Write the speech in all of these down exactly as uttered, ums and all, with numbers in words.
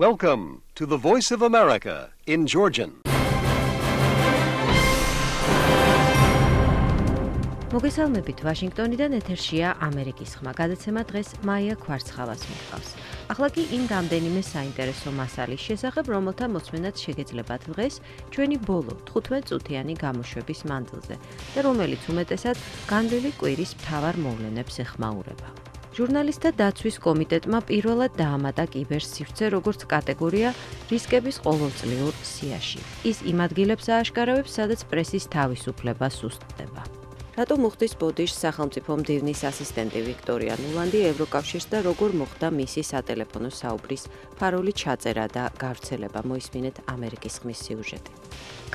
Welcome to the Voice of America in Georgian. მოგესალმებით ვაშინგტონიდან ეთერშია ამერიკის ხმა. გადაცემა დღეს მაია ქვარცხავას მოყავს. ახლა კი იმ რამდენიმე საინტერესო მასალის შესახებ, რომელთა მოსმენაც შეგეძლებათ დღეს ჩვენი ბოლო თხუთმეტ წუთიანი გამოშვების მანძილზე და რომელიც უმეტესად განვლილი კვირის მთავარ მოვლენებს ეხმაურება. ჟურნალისტთა დაცვის კომიტეტმა პირველად დაამატა კიბერსივრცე როგორც კატეგორია რისკების ყოველწლიურ სიაში. ის იმ ადგილებს ააშკარავებს, სადაც პრესის თავისუფლება სუსტდება. რატომ უხდის ბოდიშს სახელმწიფო მდივნის ასისტენტი ვიქტორია ნულანდი ევროკავშირს და როგორ მოხდა მისი სატელეფონო საუბრის ფარული ჩაწერა და გავრცელება, მოისმინეთ ამერიკის ხმის სიუჟეტი.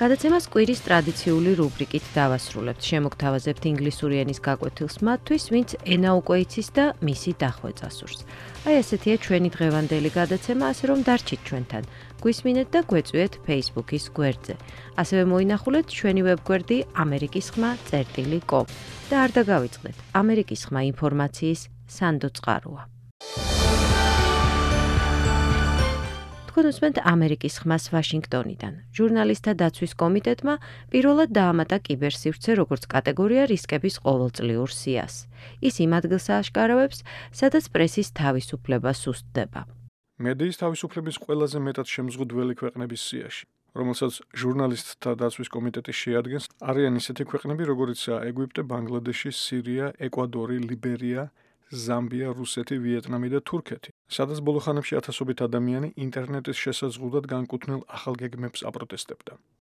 გადაცემას კვირის ტრადიციული რუბრიკით დავასრულებთ. შემოგთავაზებთ ინგლისური ენის გაკვეთილს მათთვის, ვინც ენა უკვე იცის და მისი დახვეწა სურს. აი ესეთია ჩვენი დღევანდელი გადაცემა, ასე რომ დარჩით ჩვენთან. გვისმინეთ და გვეწვიეთ Facebook-ის გვერდზე. ასევე მოინახულეთ ჩვენი ვებგვერდი ამერიკის ხმა წერტილი კომ და არ დაგავიწყდეთ. ამერიკის ხმა ინფორმაციის სანდო წყაროა. თქვენ უსმენთ ამერიკის ხმას ვაშინგტონიდან. ჟურნალისტთა დაცვის კომიტეტმა პირველად დაამატა კიბერსივრცე როგორც კატეგორია რისკების ყოველწლიურ სიას. ის იმ ადგილს ააშკარავებს, სადაც პრესის თავისუფლება სუსტდება. მედიის თავისუფლების ყველაზე მეტად შემზღუდველი ქვეყნების სიაში, რომელსაც ჟურნალისტთა დაცვის კომიტეტი შეადგენს, არიან ისეთი ქვეყნები, როგორიცაა ეგვიპტე, ბანგლადეში, სირია, ეკვადორი, ლიბერია, ზამბია, რუსეთი, ვიეტნამი და თურქეთი, სადაც ბოლო ხანებში ათასობით ადამიანი ინტერნეტის შესაძლებლად განკუთვნილ ახალ გეგმებს აპროტესტებდა.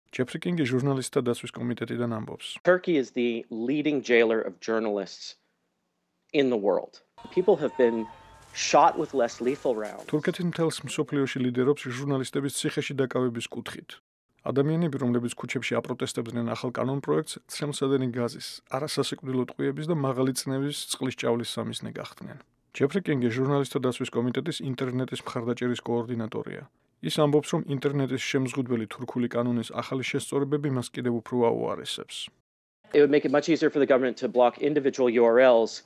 ჯეფრი კინგი ჟურნალისტთა დაცვის კომიტეტიდან ამბობს. Turkey is the leading jailer of journalists in the world. People have been shot with less lethal rounds. თურქეთის მთელს მსოფლიოში ლიდერობს ჟურნალისტების ციხეში დაკავების კუთხით. ადამიანები, რომლებიც ქუჩებში აპროტესტებდნენ ახალ კანონპროექტს, ცხელმსადენი გაზის, არასასიკვდილო ტყვიების და მაღალი წნევის წყლის ჭავლის სამიზნე გახდნენ. ჯეფრი კინგი ჟურნალისტთა დაცვის კომიტეტის ინტერნეტის მხარდაჭერის კოორდინატორია. ის ამბობს, რომ ინტერნეტის შემზღუდველი თურქული კანონის ახალი შესწორებები მას კიდევ უფრო აუარესებს. It would make it much easier for the government to block individual U R Ls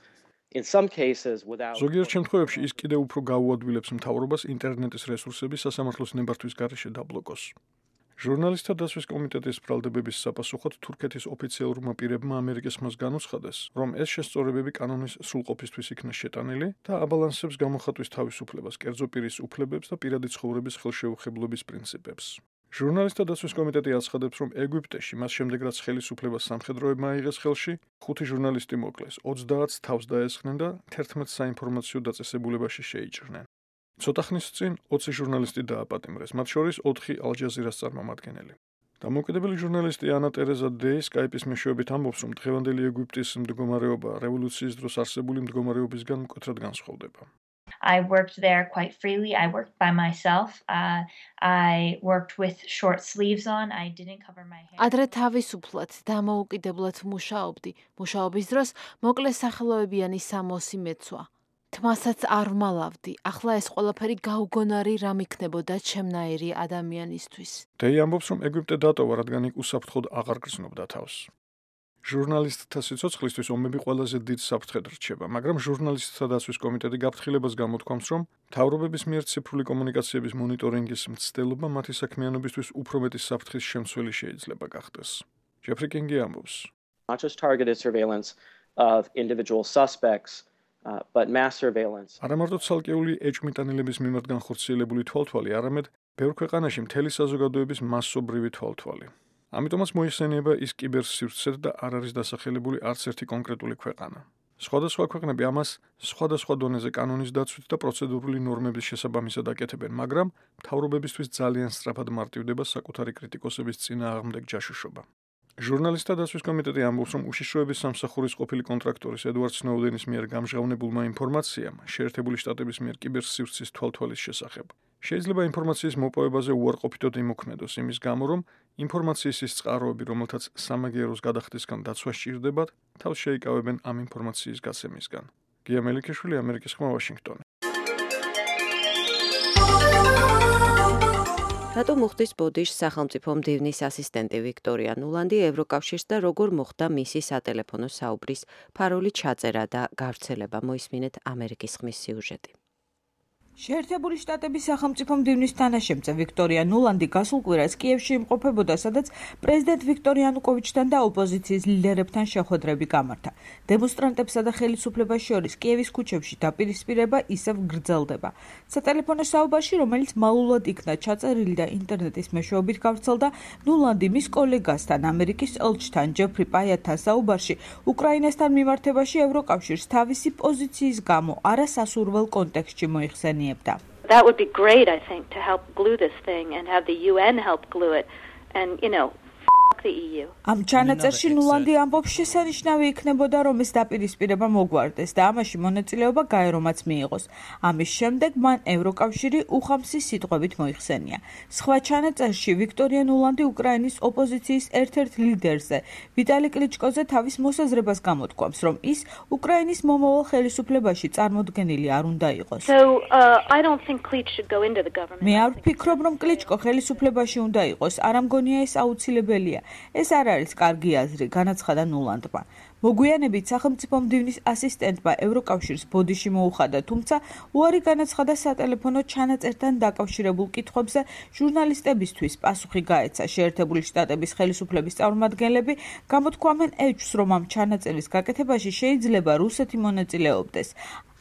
in some cases without ზოგიერთ შემთხვევებში ის კიდევ უფრო გაუადვილებს მთავრობას ინტერნეტის რესურსების სასამართლოს ნებართვის გარეშე დაბლოკოს. ჟურნალისტთა დაცვის კომიტეტის ბრალდებების საპასუხოდ თურქეთის ოფიციალურმა პირებმა ამერიკის ხმას განუცხადეს, რომ ეს შესწორებები კანონის სრულყოფისთვის იქნა შეტანილი და აბალანსებს გამოხატვის თავისუფლებას, კერძო პირის უფლებებს და პირადი ცხოვრების ხელშეუხებლობის პრინციპებს. ჟურნალისტთა დაცვის კომიტეტი აცხადებს, რომ ეგვიპტეში მას შემდეგ რაც ხელისუფლება სამხედროებმა აიღეს ხელში, ხუთი ჟურნალისტი მოკლეს, ოცდაათს თავს დაესხნენ და თერთმეტ საინფორმაციო დაწესებულებაში შეიჭრნენ. ცოტა ხნის წინ ოცი ჟურნალისტი დააპატიმრეს, მათ შორის ოთხი ალ-ჯაზირას წარმომადგენელი. დამოუკიდებელი ჟურნალისტი ანა ტერეზა დეი სკაიპის მეშვეობით ამბობს, რომ დღევანდელი ეგვიპტის მდგომარეობა რევოლუციის დროს არსებული მდგომარეობისგან მკვეთრად განსხვავდება. I worked there quite freely. I worked by myself. Uh, I worked with short sleeves on. I didn't cover my hair. ადრე თავისუფლად დამოუკიდებლად მუშაობდი. მუშაობის დროს მოკლე სახელოებიანი სამოსი მეცვა. თმასაც არ ვმალავდი. ახლა ეს ყველაფერი გაუგონარი რამ იქნებოდა ჩემნაირი ადამიანისთვის. დეი ამბობს, რომ ეგვიპტე დატოვა, რადგან იქ უსაფრთხოდ აღარ გრძნობდა თავს. ჟურნალისტთა სიცოცხლისთვის ომები ყველაზე დიდ საფრთხედ რჩება, მაგრამ ჟურნალისტთა დაცვის კომიტეტი გაფრთხილებას გამოთქვამს, რომ მთავრობების მიერ ციფრული კომუნიკაციების მონიტორინგის მცდელობა მათი საქმიანობისთვის უფრო მეტი საფრთხის შემცველი შეიძლება გახდეს. ჯეფრი კინგი ამბობს. not just targeted surveillance of individual suspects, uh, but mass surveillance. არა მარტო ცალკეული ეჭვმიტანილების მიმართ განხორციელებული თვალთვალი, არამედ ბევრ ქვეყანაში მთელი საზოგადოების მასობრივი თვალთვალი. ამიტომაც მოიხსენიება ის კიბერსივრცე და არ არის დასახელებული არც ერთი კონკრეტული ქვეყანა. სხვადასხვა ქვეყნები ამას სხვადასხვა დონეზე კანონის დაცვით და პროცედურული ნორმების შესაბამისად აკეთებენ, მაგრამ მთავრობებისთვის ძალიან სწრაფად მარტივდება საკუთარი კრიტიკოსების წინააღმდეგ ჯაშუშობა. ჟურნალისტთა დაცვის კომიტეტი ამბობს, რომ უშიშროების სამსახურის ყოფილი კონტრაქტორის ედვარდ სნოუდენის მიერ გამჟღავნებულმა ინფორმაციამ შეერთებული შტატების მიერ კიბერსივრცის თვალთვალის შესახებ შეიძლება ინფორმაციის მოპოვებაზე უარყოფითოდ იმოქმედოს იმის გამო, რომ ინფორმაციის ის წყაროები, რომელთაც სამაგიეროს გადახდისგან დაცვა სჭირდებათ, თავს შეიკავებენ ამ ინფორმაციის გაცემისგან. გია მელიქიშვილი, ამერიკის ხმა, ვაშინგტონი. რატომ უხდის ბოდიშს სახელმწიფო მდივნის ასისტენტი ვიქტორია ნულანდი ევროკავშირს და როგორ მოხდა მისი სატელეფონო საუბრის ფარული ჩაწერა და გავრცელება, მოისმინეთ ამერიკის ხმის სიუჟეტი. შეერთებული შტატების სახელმწიფო მდივნის თანაშემწე ვიქტორია ნულანდი გასულ კვირას კიევში იმყოფებოდა, სადაც პრეზიდენტ ვიქტორ იანუკოვიჩთან და ოპოზიციის ლიდერებთან შეხვედრები გამართა. დემონსტრანტებსა და ხელისუფლებას შორის კიევის ქუჩებში დაპირისპირება ისევ გრძელდება. სატელეფონო საუბარში, რომელიც მალულად იქნა ჩაწერილი და ინტერნეტის მეშვეობით გავრცელდა, ნულანდი მის კოლეგასთან, ამერიკის ელჩთან ჯეფრი პაიათთან საუბარში უკრაინასთან მიმართებაში ევროკავშირს თავისი პოზიციის გამო არასასურველ კონტექსტში მოიხსენიებდა. That would be great, I think, to help glue this thing and have the U N help glue it. And, you know, f*** the E U. ამ ჩანაწერში ნულანდი ამბობს, შესანიშნავი იქნებოდა, რომ ეს დაპირისპირება მოგვარდეს და ამაში მონაწილეობა გაერომაც მიიღოს. ამის შემდეგ მან ევროკავშირი უხამსი სიტყვებით მოიხსენია. სხვა ჩანაწერში ვიქტორია ნულანდი უკრაინის ოპოზიციის ერთ-ერთ ლიდერზე, ვიტალი კლიჩკოზე თავის მოსაზრებას გამოთქვამს, რომ ის უკრაინის მომავალ ხელისუფლებაში წარმოდგენილი არ უნდა იყოს. So, uh, I don't think Klitsch should go into the government. მე არ ვფიქრობ, რომ კლიჩკო ხელისუფლებაში უნდა იყოს, არ ამგონია ეს აუცილებელია. ეს არ არის კარგი აზრი, განაცხადა ნულანდმა. მოგვიანებით სახელმწიფო მდივნის ასისტენტმა ევროკავშირს ბოდიში მოუხადა, თუმცა უარი განაცხადა სატელეფონო ჩანაწერთან დაკავშირებულ კითხვებზე ჟურნალისტებისთვის პასუხი გაეცა. შეერთებული შტატების ხელისუფლების წარმომადგენლები გამოთქვამენ ეჭვს, რომ ამ ჩანაწერის გაკეთებაში შეიძლება რუსეთი მონაწილეობდეს.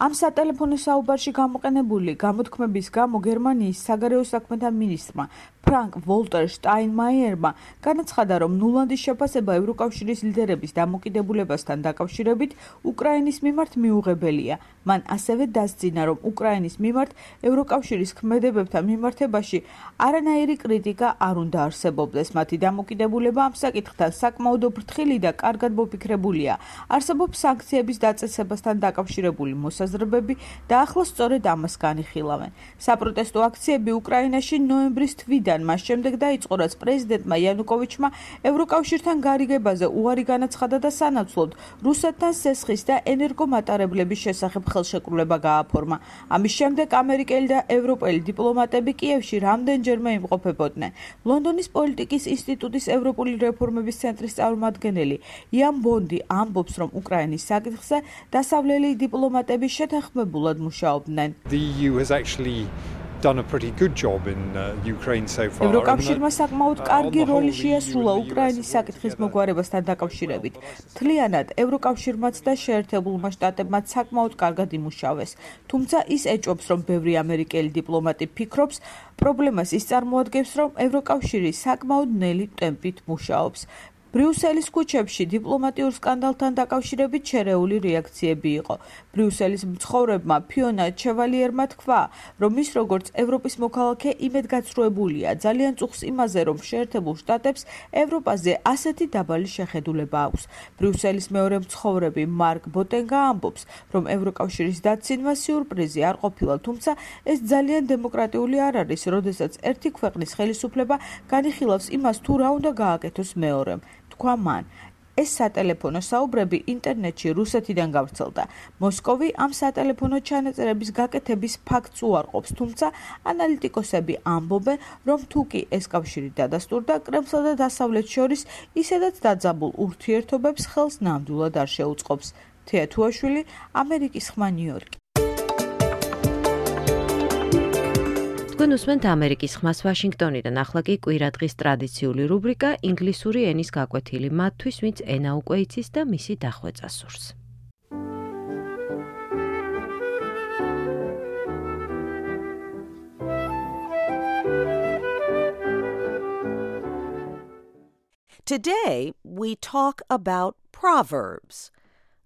ამ სატელეფონო საუბარში გამოყენებული გამოთქმების გამო გერმანიის საგარეო საქმეთა მინისტრმა ფრანკ ვოლტერ შტაინმაიერმა განაცხადა, რომ ნულანდის შეფასება ევროკავშირის ლიდერების დამოკიდებულებასთან დაკავშირებით უკრაინის მიმართ მიუღებელია. მან ასევე დასძინა, რომ უკრაინის მიმართ ევროკავშირის ქმედებებთან მიმართებაში არანაირი კრიტიკა არ უნდა არსებობდეს. მათი დამოკიდებულება ამ საკითხთან საკმაოდ ფრთხილი და კარგად მოფიქრებულია. არსებობს სანქციების დაწესებასთან დაკავშირებული მოსაზრებები და ახლა სწორედ ამას განიხილავენ. საპროტესტო აქციები უკრაინაში ნოემბრის თვიდან მას შემდეგ დაიწყო, რაც პრეზიდენტმა იანუკოვიჩმა ევროკავშირთან გარიგებაზე უარი განაცხადა და სანაცვლოდ რუსეთთან სესხის და ენერგომატარებლების შესახებ ხელშეკრულება გააფორმა. ამის შემდეგ ამერიკელი და ევროპელი დიპლომატები კიევში რამდენჯერმე იმყოფებოდნენ. ლონდონის პოლიტიკის ინსტიტუტის ევროპული რეფორმების ცენტრის წარმომადგენელი იან ბონდი ამბობს, რომ უკრაინის საკითხზე დასავლელი დიპლომატები შეთანხმებულად მუშაობდნენ. The E U has actually done a pretty good job in uh, Ukraine so far. ევროკავშირმა საკმაოდ კარგი როლი შეასრულა უკრაინის საკითხის მოგვარებასთან დაკავშირებით. მთლიანად ევროკავშირმაც და შეერთებულმა შტატებმაც საკმაოდ კარგად იმუშავეს. თუმცა ის ეჭვობს, რომ ბევრი ამერიკელი დიპლომატი ფიქრობს, პრობლემას ის წარმოადგენს, რომ ევროკავშირი საკმაოდ ნელი ტემპით მუშაობს. ბრიუსელის ქუჩებში დიპლომატიურ სკანდალთან დაკავშირებით შერეული რეაქციები იყო. ბრიუსელის მცხოვრებმა ფიონა ჩევალიერმა თქვა, რომ ის როგორც ევროპის მოქალაქე იმედგაცრუებულია ძალიან წუხს იმაზე, რომ შეერთებულ შტატებს ევროპაზე ასეთი დაბალი შეხედულება აქვს. ბრიუსელის მეორე მცხოვრები მარკ ბოტენგა ამბობს, რომ ევროკავშირის დაცინვა სიურპრიზი არ ყოფილა, თუმცა ეს ძალიან დემოკრატიული არ არის, როდესაც ერთი ქვეყნის ხელისუფლება განიხილავს იმას, თუ რა უნდა გააკეთოს მეორემ. თქვა მან. ეს სატელეფონო საუბრები ინტერნეტში რუსეთიდან გავრცელდა. მოსკოვი ამ სატელეფონო ჩანაწერების გაკეთების ფაქტს უარყოფს, თუმცა ანალიტიკოსები ამბობენ, რომ თუ კი ეს კავშირი დადასტურდა, კრემლსა და დასავლეთს შორის ისედაც დაძაბულ ურთიერთობებს ხელს ნამდვილად არ შეუწყობს. თეა თუაშვილი, ამერიკის ხმა, ნიუ-იორკი. თქვენ უსმენთ ამერიკის ხმას ვაშინგტონიდან, ახლა კი კვირადღის ტრადიციული რუბრიკა ინგლისური ენის გაკვეთილი მათთვის, ვინც ენა უკვე იცის და მისი დახვეწა სურს. Today, we talk about proverbs.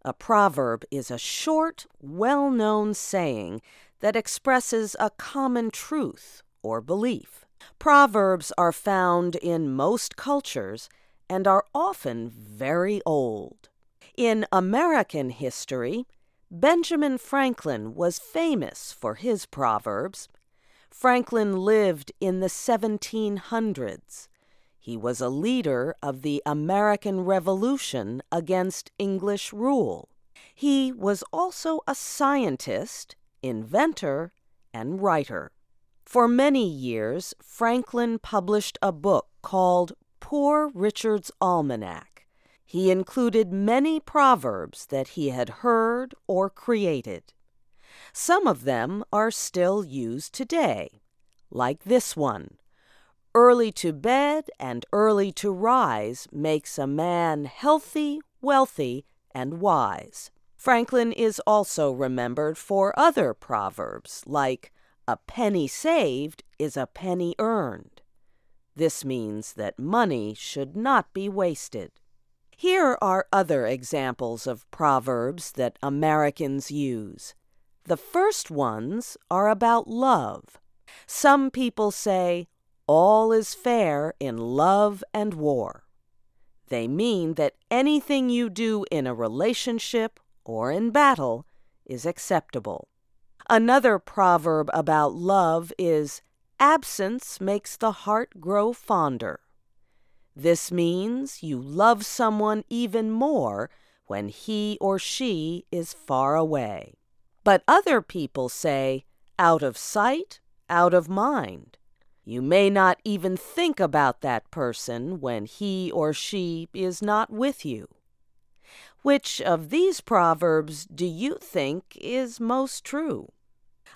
A proverb is a short, well-known saying that expresses a common truth or belief. Proverbs are found in most cultures and are often very old. In American history, Benjamin Franklin was famous for his proverbs. Franklin lived in the seventeen hundreds. He was a leader of the American Revolution against English rule. He was also a scientist, inventor, and writer. For many years, Franklin published a book called Poor Richard's Almanac. He included many proverbs that he had heard or created. Some of them are still used today, like this one. Early to bed and early to rise makes a man healthy, wealthy, and wise. Franklin is also remembered for other proverbs, like a penny saved is a penny earned. This means that money should not be wasted. Here are other examples of proverbs that Americans use. The first ones are about love. Some people say, all is fair in love and war. They mean that anything you do in a relationship or in battle is acceptable. Another proverb about love is, absence makes the heart grow fonder. This means you love someone even more when he or she is far away. But other people say, out of sight, out of mind. You may not even think about that person when he or she is not with you. Which of these proverbs do you think is most true?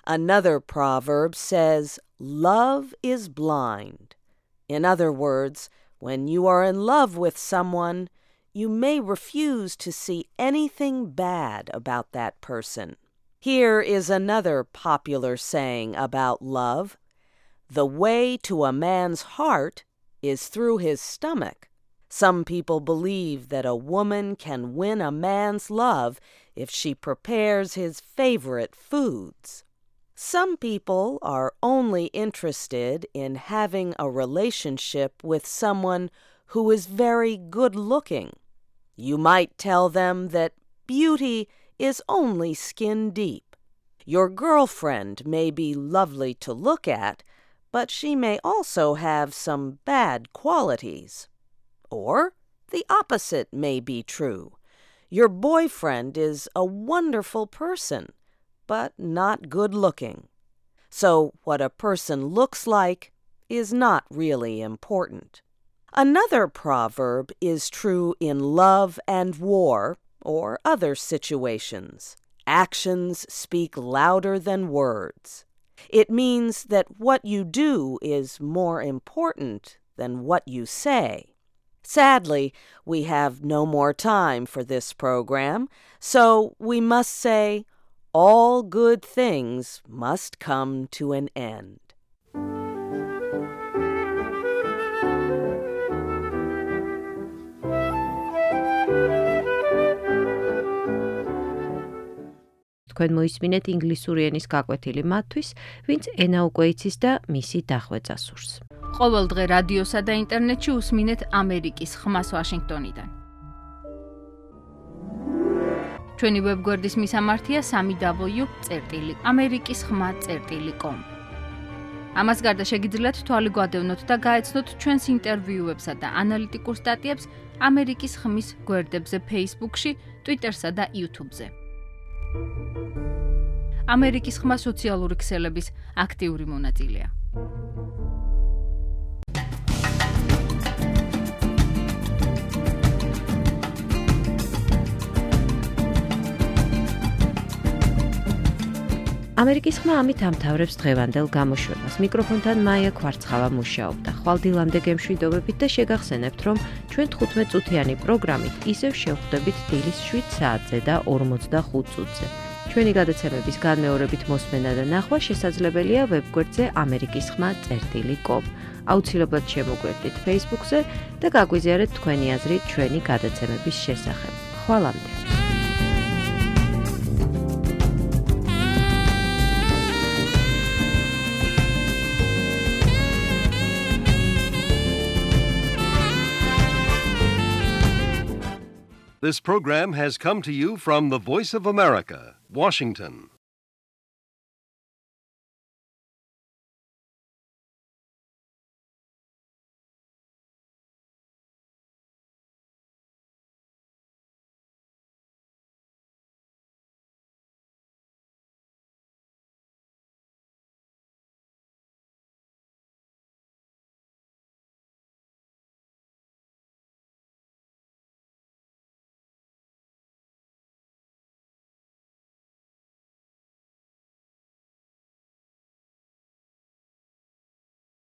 Another proverb says, love is blind. In other words, when you are in love with someone, you may refuse to see anything bad about that person. Here is another popular saying about love. The way to a man's heart is through his stomach. Some people believe that a woman can win a man's love if she prepares his favorite foods. Some people are only interested in having a relationship with someone who is very good-looking. You might tell them that beauty is only skin deep. Your girlfriend may be lovely to look at, but she may also have some bad qualities. Or the opposite may be true. Your boyfriend is a wonderful person, but not good-looking. So what a person looks like is not really important. Another proverb is true in love and war or other situations. Actions speak louder than words. It means that what you do is more important than what you say. Sadly, we have no more time for this program, so we must say, all good things must come to an end. თქვენ მოისმინეთ ინგლისური ენის გაკვეთილი მათთვის, ვინც ენა უკვე იცის და მისი დახვეწა სურს. ყოველ დღე რადიოსა და ინტერნეტში უსმინეთ ამერიკის ხმას ვაშინგტონიდან. ჩვენი ვებგვერდის მისამართია სამი დაბლიუ წერტილი ამერიკის ხმა წერტილი კომ. ამას გარდა შეგიძლიათ თვალი გვადევნოთ და გაეცნოთ ჩვენს ინტერვიუებსა და ანალიტიკურ სტატიებს ამერიკის ხმის გვერდებზე Facebook-ში, Twitter-სა და YouTube-ზე. ამერიკის ხმა სოციალური ქსელების აქტიური მონაწილეა. ამერიკის ხმა ამით ამთავრებს დღევანდელ გამოშვებას. მიკროფონთან მაია ქვარცხავა მუშაობდა. ხვალდილამდე გემშვიდობებით და შეგახსენებთ, რომ ჩვენ თხუთმეტ წუთიანი პროგრამით ისევ შევხვდებით დილის შვიდ საათზე და ორმოცდახუთ წუთზე. ჩვენი გადაცემების განმეორებით მოსმენა და ნახვა შესაძლებელია ვებგვერდზე ამერიკის ხმა წერტილი კომ. აუცილებლად შემოგვერდით Facebook-ზე და გაგვიზიარეთ თქვენი აზრი ჩვენი გადაცემების შესახებ. ხვალამდე. This program has come to you from the Voice of America, Washington.